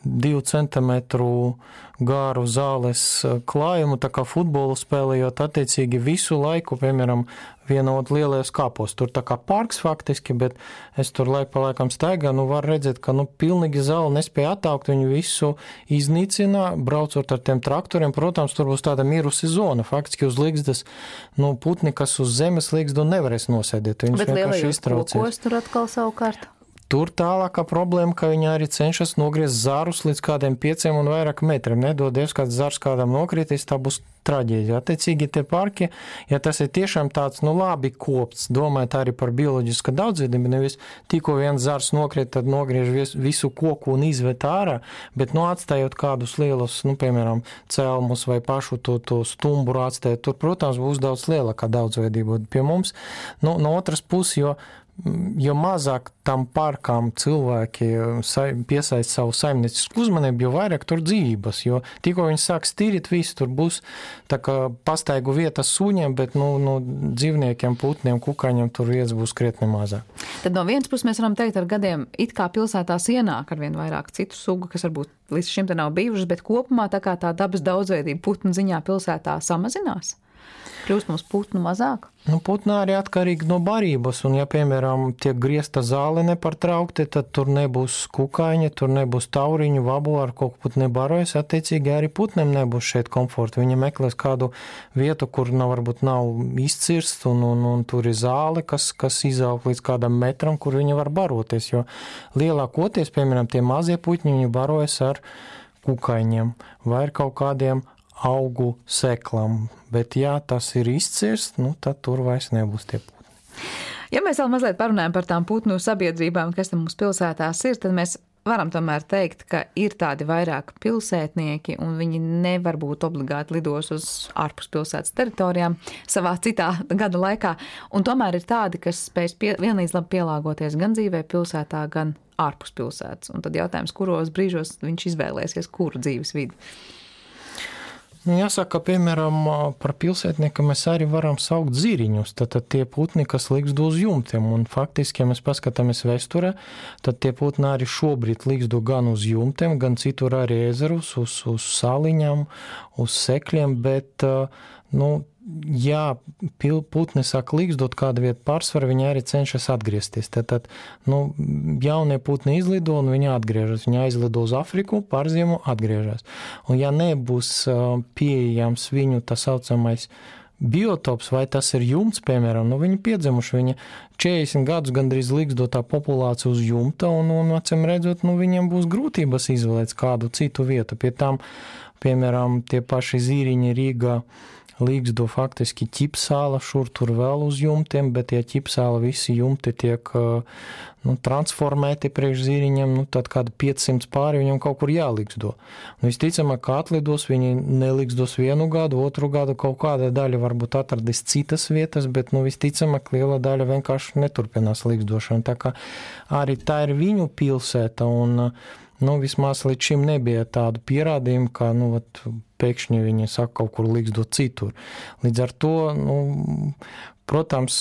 divu centimetru gāru zāles klājumu, tā kā futbolu spēlējot attiecīgi visu laiku, piemēram, vienot lielajos kāpos. Tur tā kā parks faktiski, bet es tur laik pa laikam staigā, nu var redzēt, ka nu pilnīgi zāli nespēja attaukt, viņu visu iznīcina, braucot ar tiem traktoriem. Protams, tur būs tāda mirusi zona, faktiski uz ligzdas, nu putni, kas uz zemes ligzdu nevarēs nosēdēt. Viņš
bet lielajos kokos tur atkal savukārt?
Tur tālākā problēma, ka viņi arī cenšas nogriezt zārus līdz kādiem pieciem un vairāk metriem. Nedodies, kāds zars kādam nokritīs, tā būs traģēdija. Attiecīgi tie parki, ja tas ir tiešām tāds, nu labi kopts, domājot arī par bioloģisku daudzveidību, nevis tikko viens zars nokrīt, tad nogriež visu koku un izvet ārā, bet nu atstājot kādus lielus, nu piemēram, celmus vai pašu to, to stumburu atstājot, tur, protams, būs daudz lielākā daudzveidība. Pie mums, nu, no otras puses, jo jo mazāk tam parkām cilvēki piesaist savu saimniecisku uzmanību, jo vairāk tur dzīvības, jo tikko viņi sāks tīrīt visu, tur būs tā kā pastaigu vietas suņiem, bet nu, nu, dzīvniekiem, putniem, kukaiņiem tur vietas būs krietni mazāk.
Tad no vienas puses mēs varam teikt, ar gadiem it kā pilsētās ienāk ar vien vairāk citu sugu, kas varbūt līdz šim te nav bijušas, bet kopumā tā kā tā dabas daudzveidība putnu ziņā pilsētā samazinās? Kļūst mums putnu mazāk?
Nu, putnā arī atkarīgi no barības, un ja, piemēram, tiek griezta zāle nepārtraukti, tad tur nebūs kukaiņa, tur nebūs tauriņu, vabu ar kaut ko putni barojas, attiecīgi arī putniem nebūs šeit komforta. Viņi meklēs kādu vietu, kur nav, varbūt nav izcirst, un, un, un tur ir zāle, kas, kas izaug līdz kādam metram, kur viņi var baroties, jo lielākoties, piemēram, tie mazie putņi, viņi barojas ar kukaiņiem vai ar kaut kādiem augu seklam, bet ja tas ir izcirst, nu tad tur vairs nebūs tie putni.
Ja mēs vēl mazliet parunājam par tām putnu sabiedrībām, kas te mums pilsētās ir, tad mēs varam tomēr teikt, ka ir tādi vairāk pilsētnieki, un viņi nevar būt obligāti lidos uz ārpus pilsētas teritorijām savā citā gada laikā, un tomēr ir tādi, kas spēj pie, vienlīdz labi pielāgoties gan dzīvē pilsētā, gan ārpus pilsētas. Un tad jautājums, kuros brīžos viņš izvēlēsies, kuru dzīves vidi.
Nu, jāsaka, ka, piemēram, par pilsētnieku mēs arī varam saukt ziriņus, tad, tad tie putni, kas līgzdo uz jumtiem, un faktiski, ja mēs paskatāmies vēsturē, tad tie putni arī šobrīd līgzdo gan uz jumtiem, gan citur arī ezerus, uz, uz saliņām, uz sekļiem, bet, nu, ja putni sāk līgzdot kādu vietu pārsvaru, viņi arī cenšas atgriezties. Tad, tad nu, jaunie putni izlido un viņi atgriežas. Viņi aizlido uz Afriku, pārziemo, atgriežas. Un ja nebūs pieejams viņu tā saucamais biotops, vai tas ir jumts, piemēram, nu viņi piedzimuši, viņi četrdesmit gadus gandrīz līgzdo tā populācija uz jumta, un, un acīm redzot, nu viņiem būs grūtības izvēlēt kādu citu vietu. Pie tam, piemēram, tie paši zīriņi Rīgā līgzdo faktiski ķipsāla, šur tur vēl uz jumtiem, bet ja ķipsāla visi jumti tiek nu, transformēti priekš zīriņiem, nu, tad kādi piecsimt pāri viņam kaut kur jālīgzdo. Nu, visticamāk, kā atlidos, viņi nelīgzdos vienu gadu, otru gadu kaut kāda daļa varbūt atradīs citas vietas, bet nu, visticamāk, liela daļa vienkārši neturpinās līgzdošanu. Tā kā arī tā ir viņu pilsēta, un nu, vismaz līdz šim nebija tādu pierādījumu, ka nu, vat, pēkšņi viņi saka kaut kur līgzdot citur. Līdz ar to, nu, protams,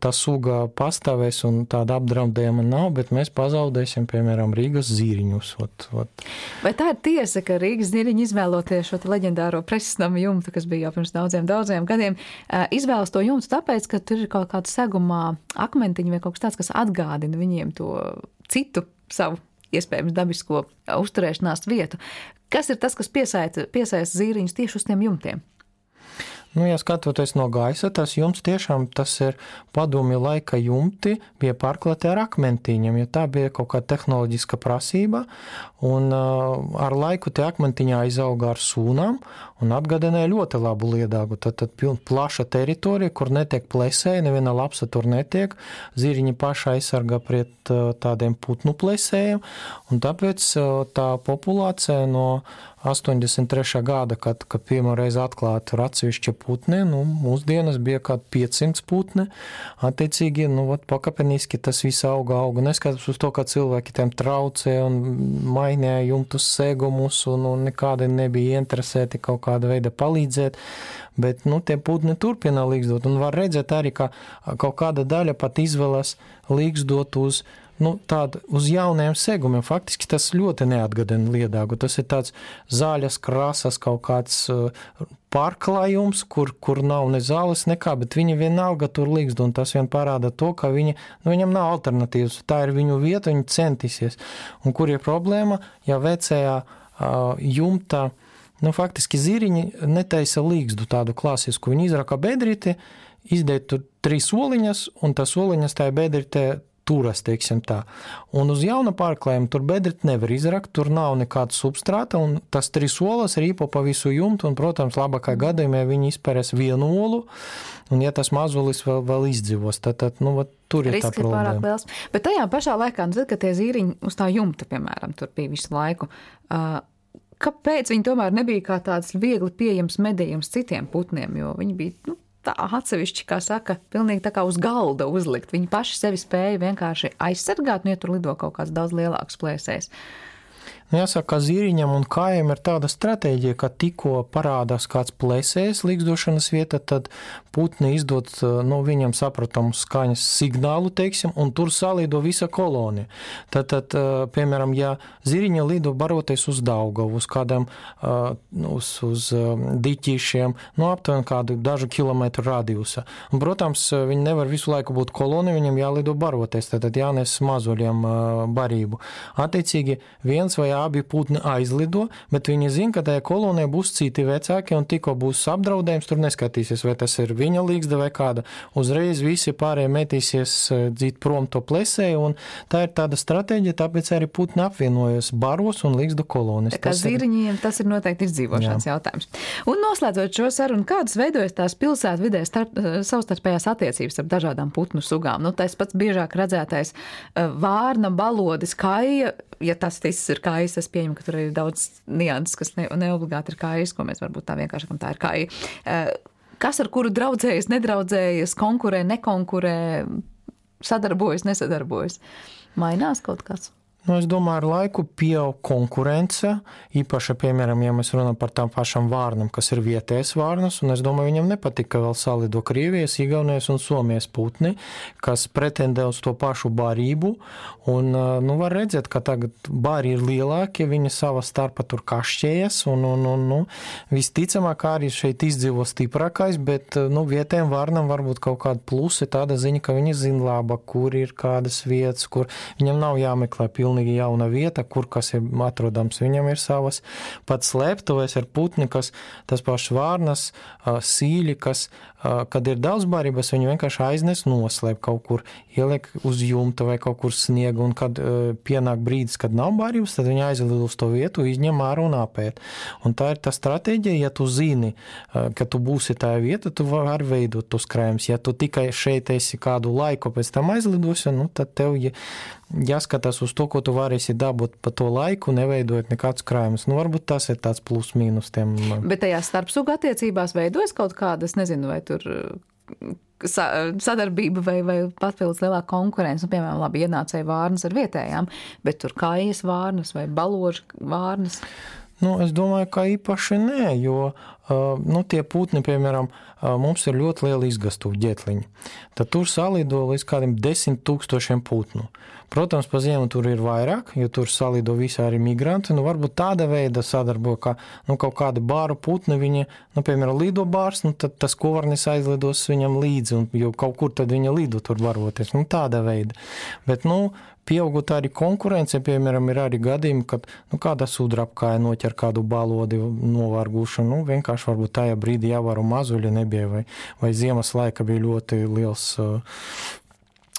tā suga pastāvēs un tāda apdraudējuma nav, bet mēs pazaudēsim, piemēram, Rīgas zīriņus. Ot, ot.
Vai tā ir tiesa, ka Rīgas zīriņi izvēloties šo leģendāro presisnama jumtu, kas bija jau pirms daudziem, daudziem gadiem, izvēlas to jumtu tāpēc, ka tur ir kaut kāda segumā akmentiņa vai kaut kas tāds, kas atgādina viņiem to citu savu iespējams dabisko uzturēšanās vietu. Kas ir tas, kas piesaista, piesaista zīriņus tieši uz tiem jumtiem?
Nu, ja skatoties no gaisa, tas jumts tiešām tas ir padomju laika jumti, bija pārklāti ar akmentiņiem, jo tā bija kaut kāda tehnoloģiska prasība, un uh, ar laiku tie akmentiņi aizauga ar sūnām un atgādināja ļoti labu liedāgu. Tad, tad plaša teritorija, kur netiek plesēji, neviena lapsa tur netiek, zīriņi paši aizsargā pret uh, tādiem putnu plesējiem, un tāpēc uh, tā populācija no astoņdesmit trešā gada, kad, kad pirmoreiz atklāti ir atsevišķi putni, nu, mūsdienas bija kādi piecsimt putni, attiecīgi, nu, vat, pakāpeniski tas viss auga, auga, neskatās uz to, ka cilvēki tiem traucē un mainīja jumtus segumus un, un nekādi nebija interesēti kaut kāda veida palīdzēt, bet, nu, tie putni turpina līgzdot, un var redzēt arī, ka kaut kāda daļa pat izvēlas līgzdot uz nu, tādu uz jauniem segumiem. Faktiski tas ļoti neatgādina liedāgu. Tas ir tāds zaļas krāsas kaut kāds pārklājums, kur, kur nav ne zāles nekā, bet viņi vienalga tur līgst, un tas vien parāda to, ka viņi, nu, viņam nav alternatīvas. Tā ir viņu vieta, viņi centīsies. Un kur ir problēma, ja vecajā uh, jumtā, nu, faktiski zīriņi netaisa līgstu tādu klasisku. Viņi izraka bedrīti, izdēja tur trīs soliņas, un tas soliņas tajā bedrītē turas, teiksim tā. Un uz jauna pārklājuma tur bedrīt nevar izrakt, tur nav nekāda substrāta, un tas trīs olas rīpo pa visu jumtu, un, protams, labākā gadījumā viņi izpērēs vienu olu, un ja tas mazulis vēl, vēl izdzīvos, tad, tad nu, tur ir
risks
tā problēma.
Ir pārāk liels. Bet tajā pašā laikā, nu, tad, kad tie zīriņi uz tā jumta, piemēram, tur bija visu laiku, uh, kāpēc viņi tomēr nebija kā tāds viegli pieejams medījums citiem putniem, jo viņi bija, nu, tā atsevišķi, kā saka, pilnīgi tā kā uz galda uzlikt. Viņi paši sevi spēja vienkārši aizsargāt, un ja tur lido kaut kāds daudz lielāks plēsējs.
Jāsaka, ka zīriņam un kājiem ir tāda stratēģija, ka tikko parādās kāds plēsējs līgzdošanas vieta, tad putni izdod no viņam sapratamu skaņas signālu, teiksim, un tur salīdo visa kolonija. Tad, tad piemēram, ja zīriņa lido baroties uz Daugavu, uz kādam, uz, uz diķīšiem, no aptuveni kādu dažu kilometru radiusa. Un, protams, viņi nevar visu laiku būt kolonija, viņam jālido baroties, tad jānes mazuļiem barību. Attiecīgi, viens vai abi putni aizlido, bet viņi zina, ka tajā kolonijā būs citi vecāki, un tikko būs apdraudējums, tur neskatīsies, vai tas ir viņa līgzda vai kāda. Uzreiz visi pārējie metīsies dzīt prom to plesēju, un tā ir tāda stratēģija, tāpēc arī putni apvienojas baros un līgzdu kolonijas.
Kā zirņiem, tas ir noteikti izdzīvošanas Jā. jautājums. Un noslēdzot šo sarunu, kādas veidojas tās pilsētvidē starp, savstarpējās attiecības ar dažādām putnu sugām? Nu, tas pats biežāk redzētais vārna, balodis, kaija. Ja tas viss ir kājas, es pieņemu, ka tur ir daudz nianses, kas ne, neobligāti ir kājas, ko mēs varbūt tā vienkārši sakam, tā ir kāja. Kas ar kuru draudzējas, nedraudzējas, konkurē, nekonkurē, sadarbojas, nesadarbojas? Mainās kaut kas?
Nu, es domāju, ar laiku pieaug konkurence, īpaši, piemēram, ja mēs runājam par tām pašām vārnam, kas ir vietējas vārnas, un es domāju, viņam nepatīk, ka vēl salido Krievijas, Igaunijas un Somijas putni, kas pretendē uz to pašu barību, un, nu, var redzēt, ka tagad bari ir lielāki, viņi sava starpa tur kašķējas, un, un, un, nu, visticamāk arī šeit izdzīvo stiprākais, bet, nu, vietējiem vārnam varbūt kaut kāda plusi, tāda ziņa, ka viņi zina laba, kur ir kādas vietas, kur viņam nav jāmeklē pilnīgi jauna vieta, kur kas ir atrodams. Viņam ir savas pat slēptuvēs ar putni, kas tas pašs vārnas, sīļi, kas, kad ir daudz barības, viņi vienkārši aiznes noslēp kaut kur, ieliek uz jumta vai kaut kur sniega, un kad pienāk brīdis, kad nav barības, tad viņi aizlido uz to vietu, izņem ārā un apēt. Un tā ir tā stratēģija, ja tu zini, ka tu būsi tajā vieta, tu vari veidot tos krājumus. Ja tu tikai šeit esi kādu laiku pēc tam aizlidosi, nu, tad tev jāskatās uz to, ko tu varēsi dabūt pa to laiku, neveidojot nekādus krājumus. Nu, varbūt tas ir tāds plus mīnus tiem.
Bet tajās starpsuga attiecībās veidojas kaut kāda, es nezinu, vai tur sadarbība vai, vai papildus lielāka konkurence. Nu, piemēram, labi, ienācēja vārnas ar vietējām, bet tur kājas vārnas vai baložu vārnas.
Nu, es domāju, ka īpaši nē, jo nu, tie putni, piemēram, mums ir ļoti liela izgastuva ģetliņi. Tad tur salido līdz kādiem desmit tūkstošiem putnu. Protams, pa ziemu tur ir vairāk, jo tur salido visi arī migranti. Nu, varbūt tāda veida sadarbo, ka nu, kaut kādi bāru putni, viņi, nu, piemēram, lido bārs, nu, tad tas kovarnis aizlidos viņam līdzi, un, jo kaut kur tad viņa lido tur varoties. Nu, tāda veida. Bet, nu, pieaugot arī konkurence, piemēram, ir arī gadījumi, kad nu, kāda sudrabkāja noķer kādu balodi novārgušu, nu, vienkārši varbūt tajā brīdī jāvaru mazuļi nebija, vai, vai ziemas laika bija ļoti liels uh,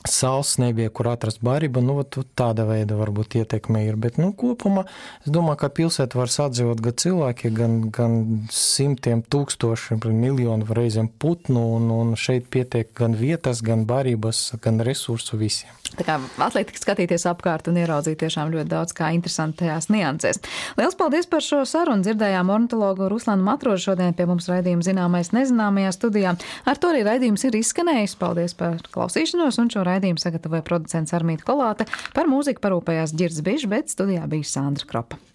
sals, nebija, kur atrast barību, nu, tāda veida varbūt ietekme ir, bet, nu, kopumā, es domāju, ka pilsēta var sadzīvot gan cilvēki, gan, gan simtiem tūkstoši, miljonu reizēm putnu, un, un šeit pietiek gan vietas, gan barības, gan resursu visiem.
Tā kā atliek skatīties apkārt un ieraudzīt tiešām ļoti daudz kā interesantajās niansēs. Liels paldies par šo sarunu. Dzirdējām ornitologu Ruslanu Matrožu šodien pie mums raidījuma Zināmais nezināmajā studijā. Ar to arī raidījums ir izskanējis. Paldies par klausīšanos, un šo raidījumu sagatavoja producents Armīta Kolāte. Par mūziku parūpējās Ģirds Bišs, bet studijā bija Sandra Kropa.